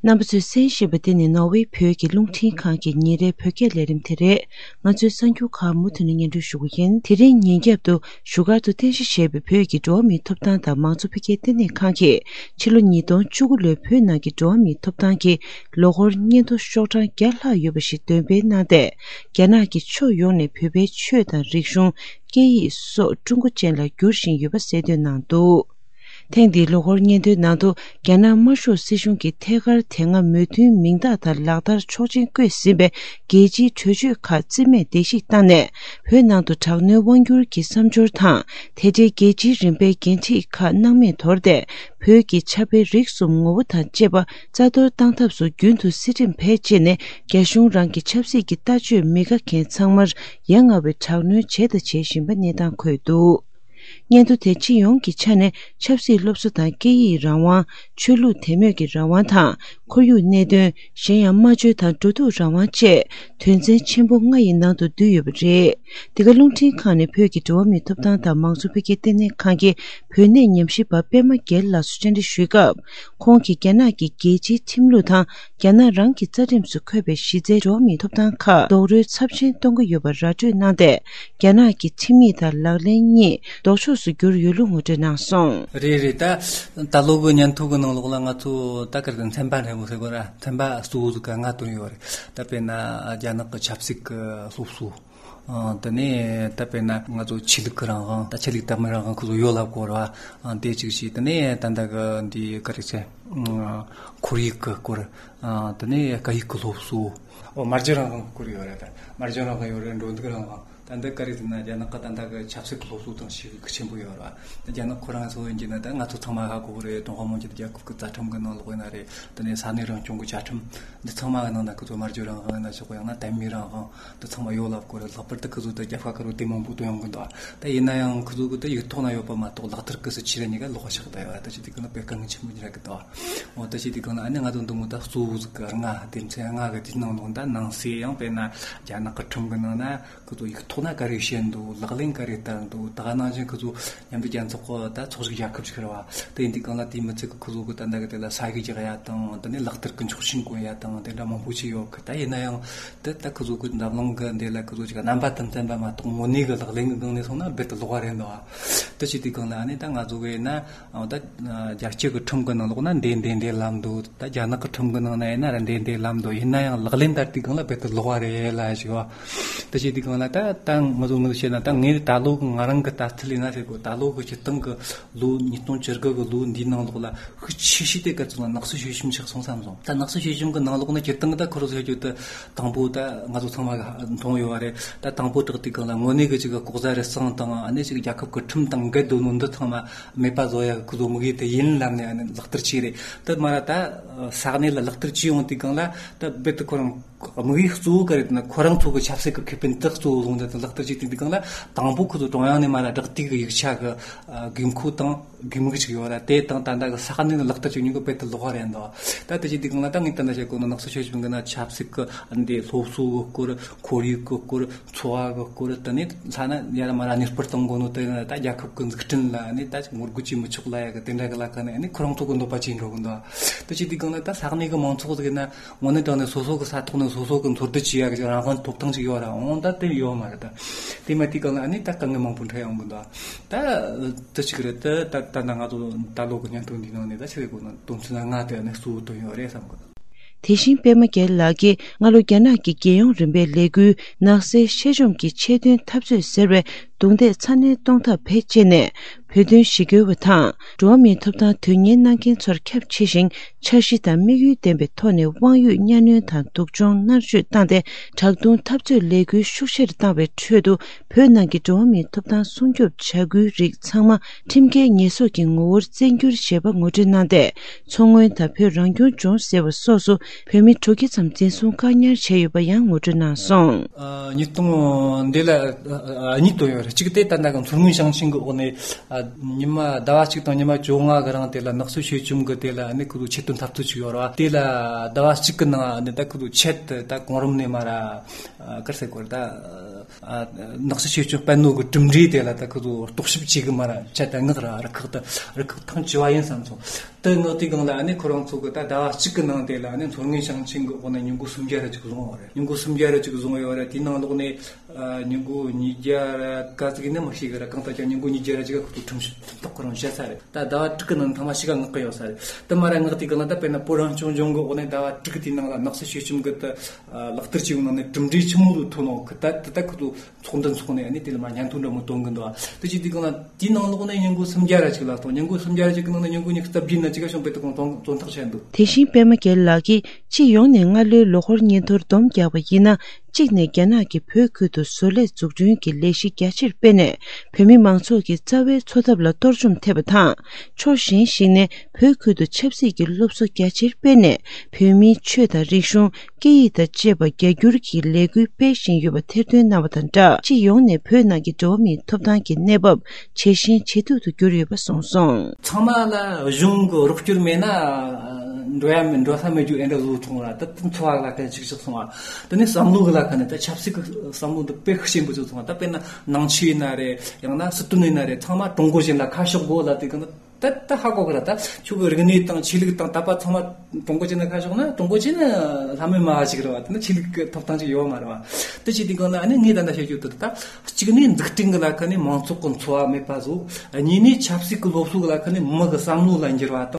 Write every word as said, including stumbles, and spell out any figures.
རྣམ་པ་ཚོས་གསན་བཞིན་པ་འདི་ནི་ནོར་ཝེ་བོད་ཀྱི་རླུང་འཕྲིན་ཁང་གི་ཉིན་རེའི་བོད་སྐད་ལས་རིམ་དེ་རེད། ང་ཚོའི་གསར་འགྱུར་ཁག་མུ་མཐུད་ནས་སྙན་སྒྲོན་ཞུ་གི་ཡིན། དེ་རིང་ཉིན་རྒྱབ་ཏུ་བཞུགས་སྒར་དུ་རྟེན་གཞི་བྱས་པའི་བོད་ཀྱི་འགྲོ་བ་མིའི་ཐོབ་ཐང་དང་མང་གཙོ་འཕེལ་རྒྱས་ལྟེ་གནས་ཁང་གིས་ཕྱི་ལོ་ཉིས་སྟོང་བཅུ་དགུ་ལོའི་བོད་ནང་གི་འགྲོ་བ་མིའི་ཐོབ་ཐང་གི་ལོ་འཁོར་སྙན་ཐོ་ཤོག་གྲངས་བརྒྱ་ལྷག་ཡོད་པ་ཞིག་འདོན་སྤེལ་གནང་སྟེ། རྒྱ་ནག་གིས་ཕྱོགས་ཡོངས་ནས་བོད་པའི་ཆོས་དང་རིག་གཞུང་། སྐད་ཡིག་སོགས་ཀྲུང་གོ་ཅན་ལ་བསྒྱུར་བཞིན་ཡོད་པ་གསལ་སྟོན་གནང་འདུག་ཐེངས་འདིའི་ལོ་འཁོར་སྙན་ཐོའི་ནང་དུ། རྒྱ་ནག་དམར་ཤོག་སྲིད་གཞུང་གིས་ཐད་ཀར་དེ་སྔ་མོས་མཐུན་མིང་རྟགས་དང་ལག་བསྟར་ཆོག་མཆན་བཀོད་ཟིན་པའི་རྒྱལ་སྤྱིའི་གྲོས་ཆོད་ཁག་རྩིས་མེད་བརྡལ་བཤིག་བཏང་ནས། བོད་ནང་དུ་དྲག་གནོན་དབང་བསྒྱུར་གྱི་བསམ་སྦྱོར་དང་། དེ་འབྲེལ་རྒྱལ་སྤྱིའི་རིམ་པའི་འགན་འཁྲི་ཁག་སྣང་མེད་དོར་ཏེ། བོད་ཀྱི་ཆབ་དཔལ་རིག་གསུམ་ངོ་བོ་དང་བཅས་པ་རྩ་གཏོར་བཏང་ཐབས་སུ་རྒྱུན་དུ་སྲིད་ཁྲིམས་བེད་སྤྱད་ནས། རྒྱ་གཞུང་རང་གི་ཆབ་སྲིད་ཀྱི་ལྟ་སྤྱོད་མི་དགའ་མཁན་ཚང་མར་ཡ་ང་བའི་དྲག་གནོན་བྱས་དང་བྱེད་བཞིན་པ་གནས་སྟངས་འཁོད་འདུག་སྙན་ཐོ་དེ་སྤྱི་ཡོངས་ཀྱི་ཆ་ནས་ཆབ་སྲིད་སློབ་གསོ་དང་སྐད་ཡིག་རང་དབང་། ཆོས་ལུགས་དད་མོས་ཀྱི་རང་དབང་དང་། ཁོར་ཡུག་གནད་དོན། གཞན་ཡང་སྨྲ་བརྗོད་དང་འགྲོ་འདུག་རང་དབང་བཅས་དོན་ཚན་ཆེན་པོ་ལྔ་ཡི་ནང་དུ་འདུས་ཡོད་པ་རེད། འདི་ག་རླུང་འཕྲིན་ཁང་ནས་བོད་ཀྱི་འགྲོ་བ་མིའི་ཐོབ་ཐང་དང་མང་གཙོ་འཕེལ་རྒྱས་ལྟེ་གནས་ཁང་གི་བོད་གནས་ཉམས་ཞིབ་པ་པད་མ་རྒྱལ་ལགས་སུ་བཅར་འདྲི་ཞུས་སྐབས། ཁོང་གིས་རྒྱ་ནག་གི་རྒྱལ་སྤྱིའི་ཁྲིམས་ལུགས་དང་། རྒྱ་ནག་རང་གི་རྩ་ཁྲིམས་སུ་འཁོད་པའི་གཞི་རྩའི་འགྲོ་བ་མིའི་ཐོབ་ཐང་ཁག་རྡོག་རོལ་ཚབས་ཆེན་གཏོང་གི་ཡོད་པར་ར་སྤྲོད་གནང་སྟེ། རྒྱ་ནག་གི་ཁྲིམས་ཡིག་དང་ལག་ལེན་གཉིས་ལྡོག་ཕྱོགས་སུ་གྱུར་ཡོད་ལུགས་ངོ་སྤྲོད་གནང་སོང་། རེད་རེད། ད་ད་ལོ་གི་སྙན་ཐོ་གི་ནང་ལོགས་ལ་ང་ཚོ་ད་ག་རེ་ཟེར། ཚན་པ་འདྲ་པོ་ཟེར་དགོས་ར། ཚན་པ་གཙོ་བོ་ཟིག་ག་ལྔ་བཏོན་ཡོད་རེད། ད་དཔེར་ན་རྒྱ་ནག་གི་ཆབ་སྲིད་ཀྱི་སློབ་གསོ། ཨ། དེ་ནས་ད་དཔེར་ན་ང་ཚོ་ཆོས་ལུགས་ཀྱི་རང་དབང་། ད་ཆོས་ལུགས་དད་མོས་རང་དབང་ཁོ་ཚོ་ཡོད་ལབ་དགོས་ར། ཨ། དེ་གཅིག་བྱས། དེ་ནས་ད་ལྟ་གི་འདི་ག་རེ་ཟེར། ཨ། ཁོར་ཡུག་གི་སྐོར། ཨ། དེ་ནས་སྐད་ཡིག་གི་སློབ་གསོ། ཨོ། སྨྲ་བརྗོད་རང་དབང་གི་སྐོར་ཡོད་རེད། ད་སྨྲ་བརྗོད་རང་དབང་ཡོད་རེད། འགྲོ་འདུག་རང་དབང་། ད་འདི་ག་རེ་ཟེར་ན། རྒྱ་ནག་གི་ད་ལྟ་གི་ཆབ་སྲིད་ཀྱི་སློབ་གསོ་དང་ཤུགས་ཆེན་པོ་ཡོད་རེད་བ། ད་རྒྱ་ནག་ཁོ་རང་སོ་ཡིན་གྱི་ན། ད་ང་ཚོ་ཚང་མ་ཧ་གོ་གི་རེད། ཀྲུང་ཧྭ་མི་དམངས་ཀྱི་རྒྱལ་ཁབ་ཀྱི་རྩ་ཁྲིམས་ཀྱི་ནང་ལོགས་ཡིན་ན་རེད། དེ་ནས་ས་གནས་རང་སྐྱོང་གི་བཅའ་ཁྲིམས་འདི་ཚང་མ་གི་ནང་ན་ཁོ་ཚོ་སྨྲ་བརྗོད་རང་དབང་ཡིན་ན་ཆོག་གི། ཡང་ན་དད་མོས་རང་དབང་འདི་ཚང་མ་ཡོད་ལབ་དགོས་རེད། ལྷག་པར་དུ་ཁོ་ཚོ་ད་རྒྱབ་ཁ་ཁ་རུ་དེ་མང་པོ་བཏོན་ཡོང་གི་འདུག་ད་ཡིན་ན་ཡང་ཁོ་ཚོ་གི་ད་ཡིག་ཐོག་ན་ཡོད་པ་མ་གཏོགས། ལག་བསྟར་གི་སྲིད་ཇུས་ར་གཉིས་ཀ་ལོགས་ཤིག་ད་ཡོད། ད་ཅི་དེ་གི་ན་དཔེ་དཀའ་ངལ་ཆེན་པོ་ཉིད་ར་གི་འདུག་འོ། ད་ཅི་དེ་གི་ན་ཨ་ནི་ང་ཚོ་འདི་མོ་ད་གཙོ་བོ་ཟིག་གི་ལྔ། སྡེ་ཚན་ལྔ་གི་དེའི་ནང་ལོགས་ད་ནང་གསེས་ཡང་དཔེར་ན་རྒྱ་ནག་གི་ཁྲིམས་གི་ནང་ན་ཁོ་ཚོ་ཡིག་ཐོག་ན་ག་རེ་བཤད་འདུག་ལག་ལེན་ག་རེ་བསྟར་འདུག་ད་ག་ནང་བཞིན་ཁོ་ཚོ་མཉམ་འབྲེལ་རྒྱལ་ཚོགས་ཀྱི་ད་ཚོགས་ཞུགས་རྒྱལ་ཁབ་ཅིག་རེད་བ། དེ་ཡིན་དུས་གང་ལ་དེའི་མི་ཚད་ཀྱི་ཁོ་ཚོ་གི་ད་ལྟ་གི་དེ་ལ་ས་ཡིག་རྒྱག་ཡ་དང་། དེ་ནས་ལག་བསྟར་གི་ཆོག་མཆན་བཀོད་ཡ་དང་། དེ་འདྲ་མང་པོ་ཅིག་ཡོད་གི། ད་ཡིན་ན་ཡང་དེ་ད་ཁོ་ཚོ་གི་འཛམ་གླིང་གི་འདི་ལ་ཁོ་ཚོ་ཅིག་རྣམ་པ་དང་བསྟན་པ་མ་གཏོགས། དངོས་གནས་གི་ལག་ལེན་གི་སྒང་ནས་སོང་ན་རྦད་དེ་ལོགས་ཀ་རེད་འདུག་བ། དེ་བྱེད་དུས་གང་ལ་ཨ་ནི་ད་ང་ཚོ་གི་ཡིན་ན། ཨ། ད་རྒྱལ་སྤྱི་གི་ཁྲིམས་གི་ནང་ལོགས་ན་འདི་འདི་འདི་ལབ་འདུག་ད་རྒྱ་ནག་གི་ཁྲིམས་གི་ནང་ན་ཡིན་ན་ར་འདི་འདི་ལབ་འདུག་ཡིན་ན་ཡང་ལག་ལེན་བསྟར་དུས་སྒང་ལ་རྦད་དེ་ལོགས་ཀ་རེད་ལབ་ཞིག་བ། ད་བྱེད་དུས་སྒང་ལ་ད་ད་ང་ཚོ་ངོས་བཤད་ན། ད་ངས་ད་ལོ་གི་ང་རང་གི་ལྟ་ཚུལ་ཡིན་ན་ཟེར་གོ། ད་ལོ་གི་སྤྱིར་བཏང་གི་ལོ་ཉིས་སྟོང་བཅུ་དགུ་གི་ལོ་འདིའི་ནང་ལོགས་ལ་ཤུགས་ཆེ་ཤོས་དེ་ག་ཚོད་ན་ནག་གསོ་ཞལ་ཆེམས་ཆགས་སོང་བསམ་སོང་། ད་ནག་གསོ་ཞལ་ཆེམས་གི་ནང་ལོགས་ན་སྤྱིར་བཏང་གི་ད་ཁོ་རང་ཚོ་ཡོད་དུ། དང་པོ་ད་ང་ཚོ་ཚང་མ་གི་མཐོང་ཡོད་བ་རེད། ད་དང་པོ་དྲག་དུས་སྒང་ལ་དངོས་གནས་གི་ཅིག་གི་ལྐོག་ཟ་རུལ་སུངས་དང་། ཨ་ནི་ཅིག་རྒྱལ་ཁབ་གི་ཁྲིམས་དང་འགལ་འདུག་ནོ་འདི་ཚང་མ་མེད་པ་བཟོ་ཡ་གི་ཁོ་ཚོ་དམིགས་ཡུལ་དེ་ཡིན་ལབ་ནས། ཨ་ནི་ལག་བསྟར་བྱས་རེད། དེ་མ་ར་ད་ས་གནས་ལ་ལག་བསྟར་བྱས་ཡོང་དུས་སྒང་ལ་ད་རྦད་དེ་ཁོ་རང་དམིགས་ཡུལ་གཙོ་བོ་ག་རེ་ཡིན་ན། ཁོ་རང་ཚོ་གི་ཆབ་སྲིད་ཀྱི་ཁེ་ཕན་དེ་གཙོ་བོ་བཟུང་སྟེ་ལག་བསྟར་བྱས་དུས་སྒང་ལ། དང་པོ་ཁོ་ཚོ་ཀྲུང་དབྱང་ནས་མ་ར་བསྒྲགས་བསྡུས་ཀྱི་ཡིག་ཆ་གི་དགོས་མཁོ་དང་དགོས་དམིགས་ཅིག་ཡོད་ར། དེ་དང་ད་ལྟ་གི་ས་གནས་ལ་ལག་བསྟར་བྱེད་མཁན་གི་རྦད་དེ་ལོགས་ཀ་རེད་འདུག་ད་དེ་བྱེད་དུས་སྒང་ལ་ད་ངས་ད་ལྟ་བཤད་གོ་ནོ་ནག་གསོ་ཞལ་ཆེམས་གི་ནང་ཆབ་སྲིད་ཀྱི་འདི་སློབ་གསོ་གི་སྐོར། ཁོར་ཡུག་གི་སྐོར། འཚོ་བ་གི་སྐོར། དེ་ནས་ཐ་ན་ཡར་མར་གཉེར་སྤར་གཏོང་དགོས་ནོ་དེ་ད་རྒྱལ་ཁབ་ཀྱི་འཛུགས་སྐྲུན་ལ། ཨ་ནི་ད་ངོ་རྒོལ་བྱེད་མི་ཆོག་ལབ་ཡ་གི་དེ་འདྲ་གི་ལ་ཁ་ནས། ཨ་ནི་ཁོ་རང་ཚོ་གི་འདོད་པ་བྱེད་འགྲོ་གི་འདུག་དེ་བྱེད་དུས་སྒང་ལ་ད་ས་གནས་གི་མང་ཚོགས་ཟིག་ཡིན་ན་དངོས་གནས་དྲང་གནས་སོ་སོ་གི་ས་ཐོག་ནས་སོ་སོ་གི་འཚོ་སྡོད་བྱེད་ཡ་གི་རང་དབང་ཐོབ་ཐང་ཅིག་ཡོད་ར། འོང་ད་དེ་ཡོད་མ་རེད། ད་དེ་མ་དུས་སྒང་ལ་ཨ་ནི་ད་དཀའ་ངལ་མང་པོ་འཕྲད་ཡོང་གི་འདུག་ད་དེ་ཅིག་རེད། ད་ད་ད་ང་ཚོ་ད་ལོ་གི་སྙན་ཐོ་འདི་ནང་ནས་ད་ཆི་ཟེར་དགོས་ན། དོན་ཚན་ལྔ་དེ་ཨ་ནི་གཙོ་བོ་བཏོན་ཡོད་རེད་བསམ་གི་འདུག་དེ་བཞིན་པད་མ་རྒྱལ་ལགས་ཀྱིས་སྔ་ལོ་རྒྱ་ནག་གི་རྒྱལ་ཡོངས་རིམ་པའི་ལས་འགུལ་ནག་སེལ་གཤེད་བཅོམ་གྱི་ཆེད་དོན་འཐབ་རྩོད་ཟེར་བའི་རྡུང་རྡེག་ཚ་ནན་གཏོང་ཐབས་བེད་སྤྱད་ནས། བོད་དོན་ཞི་རྒོལ་བ་དང་འགྲོ་བ་མིའི་ཐོབ་ཐང་དོན་གཉེར་གནང་མཁན་ཚོར་ཁྱབ་ཆེ་ཞིང་། འཆར་གཞི་དང་དམིགས་ཡུལ་ལྡན་པའི་ཐོག་ནས་དབང་ཡོད་གཉའ་གནོན་དང་སྡུག་སྦྱོང་མནར་གཅོད་བཏང་སྟེ། དྲག་རྡུང་འཐབ་རྩོད་ལས་འགུལ་ཤུགས་ཆེར་བཏང་བའི་ཁྲོད་དུ། བོད་ནང་གི་འགྲོ་བ་མིའི་ཐོབ་ཐང་སྲུང་སྐྱོབ་བྱ་འགུལ་རིགས་ཚང་མ་ཁྲིམས་འགལ་ཉེས་གསོག་གི་ངོ་བོར་བཙན་འགྱུར་བྱས་པ་ངོ་སྤྲོད་གནང་སྟེ། མཚོ་སྔོན་དང་བོད་རང་སྐྱོང་ལྗོངས་ཟེར་བ་སོགས་སུ་བོད་མི་དྲུག་བརྒྱ་ཙམ་འཛིན་བཟུང་བཀག་ཉར་བྱས་ཡོད་པ་ཡང་ངོ་སྤྲོད་གནང་སོང་། ཨ། ཉིས་སྟོང་འདི་ལ། ཨ། གཉིས་བཏོན་ཡོད་རེད། གཅིག་དེ་ད་ལྟ་གི་མཚོ་སྔོན་ཞིང་ཆེན་གྱི་འོག་ནས། ཨ། ཉི་མ་ཟླ་བ་གཅིག་དང་ཉི་མ་བཅོ་ལྔ་གི་རིང་དེ་ལ་ནག་གསོ་ཞལ་ཆེམས་གི་དེ་ལ་ནི་ཁོ་ཚོ་ཆེད་དོན་འཐབ་རྩོད་ཅིག་ཡོད་རེད་བ། དེ་ལ་ཟླ་བ་གཅིག་གི་ནང་ནི་ད་ཁོ་ཚོ་ཆེད་དུ་ད་གོང་རིམ་ནས་མར། ཨ། ག་རེ་ཟེར་དགོས་རེད། ད། ནག་ཆུ་ཆོས་སྐྱོང་དཔལ་ནོར་གྱི་གྲུབ་འབྲས་དེ་ལ་ད་ཁོ་ཚོ་རྟོག་ཞིབ་བྱེད་གི་མ་ར་ཆ་ད་ངག་ར་རུ་ཁག་ད་རུ་ཁག་ཐེངས་བཅུ་བ་ཡིན་བསམ་སོང་། དེ་ངག་དེའི་སྒང་ལ་ཨ་ནི་ཁོ་རང་ཚོ་གི་ད་ཟླ་བ་གཅིག་གི་ནང་དེ་ལ་ཨ་ནི་མཚོ་སྔོན་ཞིང་ཆེན་གི་འོག་ནས་ཉིན་གུང་སུམ་བརྒྱ་ར་ཅིག་བཟུང་བ་རེད། ཉིན་གུང་སུམ་བརྒྱ་ར་ཅིག་བཟུང་ཡོད་རེད། དེའི་ནང་ལོགས་ནས་ཉིན་གུང་ཉིས་བརྒྱ་ར་ག་ཚིག་ཡིན་ན་མི་ཤེས་གི་ར། གང་ལྟར་ཀྱང་ཉིན་གུང་ཉིས་བརྒྱ་ར་ཅིག་ཁོ་ཚོ་ཁྲིམས་ཁྲིམས་ཐག་ཁོ་རང་བཅད་ས་རེད། ད་ཟླ་བ་དྲུག་གི་ནང་ཐེངས་མ་གཅིག་ག་མངགས་གི་ཡོད་ས་རེད། དེ་མ་ར་ངག་དེའི་སྒང་ལ་ད་དཔེར་ན་བོད་རང་སྐྱོང་ལྗོངས་གི་འོག་ནས་ཟླ་བ་དྲུག་གི་དེའི་ནང་ལ་ནག་ཆུ་ཆོས་སྐྱོང་གི་ད་ལག་བསྟར་བྱས་ཡོང་ནང་ནས་གྲུབ་འབྲས་ཆི་མོ་ཟིག་ཐོན་ནོ་གི་ད་དེ་ད་ཁོ་ཚོ་ཚོགས་འདུ་འཚོགས་ནས་ཨ་ནི་དེ་ལ་མ་སྙན་ཐོ་འདྲ་མོ་བཏོན་གི་འདུག་ཨ། དེ་ཅི་དེའི་སྒང་ལ་དེའི་ནང་ལོགས་ནས་ཉིན་གུང་སུམ་བརྒྱ་ར་ཅིག་ལ་གཏོང་། ཉིན་གུང་སུམ་བརྒྱ་ར་ཅིག་གི་ནང་ནས་ཉིན་གུང་ཉི་ཤུ་རྩ་བརྒྱད་ན་ཅིག་ག་གཞུང་དཔེ་ཐོག་གཏོང་བཙོན་ཐག་བཅད་འདུག། དེ་བཞིན་པད་མ་རྒྱལ་ལགས་ཀྱིས་སྤྱི་ཡོངས་ནས་སྔ་ལོའི་ལོ་འཁོར་སྙན་ཐོར་སྡོམ་རྒྱག་པ་ཡིན་ན། གཅིག་ནས་རྒྱ་ནག་གིས་བོད་ཁུལ་དུ་བཟོ་ལས་འཛུགས་སྐྲུན་གྱི་ལས་གཞི་རྒྱ་ཆེར་སྤེལ་ནས། བོད་མི་མང་ཚོགས་ཀྱི་རྩ་བའི་འཚོ་ཐབས་ལ་གཏོར་བཅོམ་ཐེབས་པ་དང་། ཕྱོགས་གཞན་ཞིག་ནས་བོད་ཁུལ་དུ་ཆབ་སྲིད་ཀྱི་སློབ་གསོ་རྒྱ་ཆེར་སྤེལ་ནས། བོད་མིའི་ཆོས་དང་རིག་གཞུང་། སྐད་ཡིག་དང་བཅས་པ་རྒྱ་སྒྱུར་གྱི་ལས་འགུལ་སྤེལ་བཞིན་ཡོད་པ་ཐེར་འདོན་གནང་བ་དང་སྦྲགས། སྤྱི་ཡོངས་ནས་བོད་ནང་གི་འགྲོ་བ་མིའི་ཐོབ་ཐང་གི་གནས་བབ་ཇེ་ཞན་ཇེ་སྡུག་ཏུ་གྱུར་ཡོད་པ་གསུངས་སོང་། ཚང་མ་ལ་གཞུང་གི་རོགས་སྐྱོར་མེད་ན་འགྲོ་ཡ་མེད། འགྲོ་ས་མེད་རྒྱུ་ཨེ་འདྲ་བཟོ་ཐོང་ར། ད་དེ་འཚོ་བ་ལ་ཁ་ཅིག་ཅིག་སོང་བ། དེ་ནས་བསམ་བློ་གི་ལ་ཁ་ནས་ད་ཆབ་སྲིད་ཀྱི་བསམ་བློ་འདི་དཔེ་ཤེས་པོ་ཅིག་སོང་བ། ད་དཔེར་ན་ནང་ཆོས་ཡིན་ན་རེད། ཡང་ན་སྲིད་དོན་ཡིན་ན་རེད། ཚང་མ་ཀྲུང་གོ་གཞན་ལ་ཁ་ཕྱོགས་དགོས་ལ་དེ་གི་ན། ད་ད་ཧ་གོ་གི་ར། ད་ཁྱོད་ཀྱི་རིག་གནས་དང་ཆོས་ལུགས་དང་དད་པ་ཚང་མ་ཀྲུང་གོ་ཅན་ན་ཁ་ཕྱོགས་ན། ཀྲུང་གོ་ཅན་ན་ལྷ་མོའི་མ་བ་ཅིག་རེད་བ། དེ་ན་ཆོས་ལུགས་ཀྱི་ཐོབ་ཐང་ཅིག་ཡོད་མ་རེད་བ། དེ་བྱས་དུས་སྒང་ལ་ཨ་ནི་ངས་ད་ལྟ་བཤད་རྒྱུ་དེ་ད་གཅིག་ནས་འཛུགས་སྐྲུན་གྱི་ལ་ཁ་ནས་མང་ཚོགས་ཀྱི་འཚོ་བ་མེད་པ་བཟོ། གཉིས་ནས་ཆབ་སྲིད་ཀྱི་སློབ་གསོ་གི་ལ་ཁ་ནས་མི་གི་བསམ་བློ་ལ་འགྱུར་བ་དང་།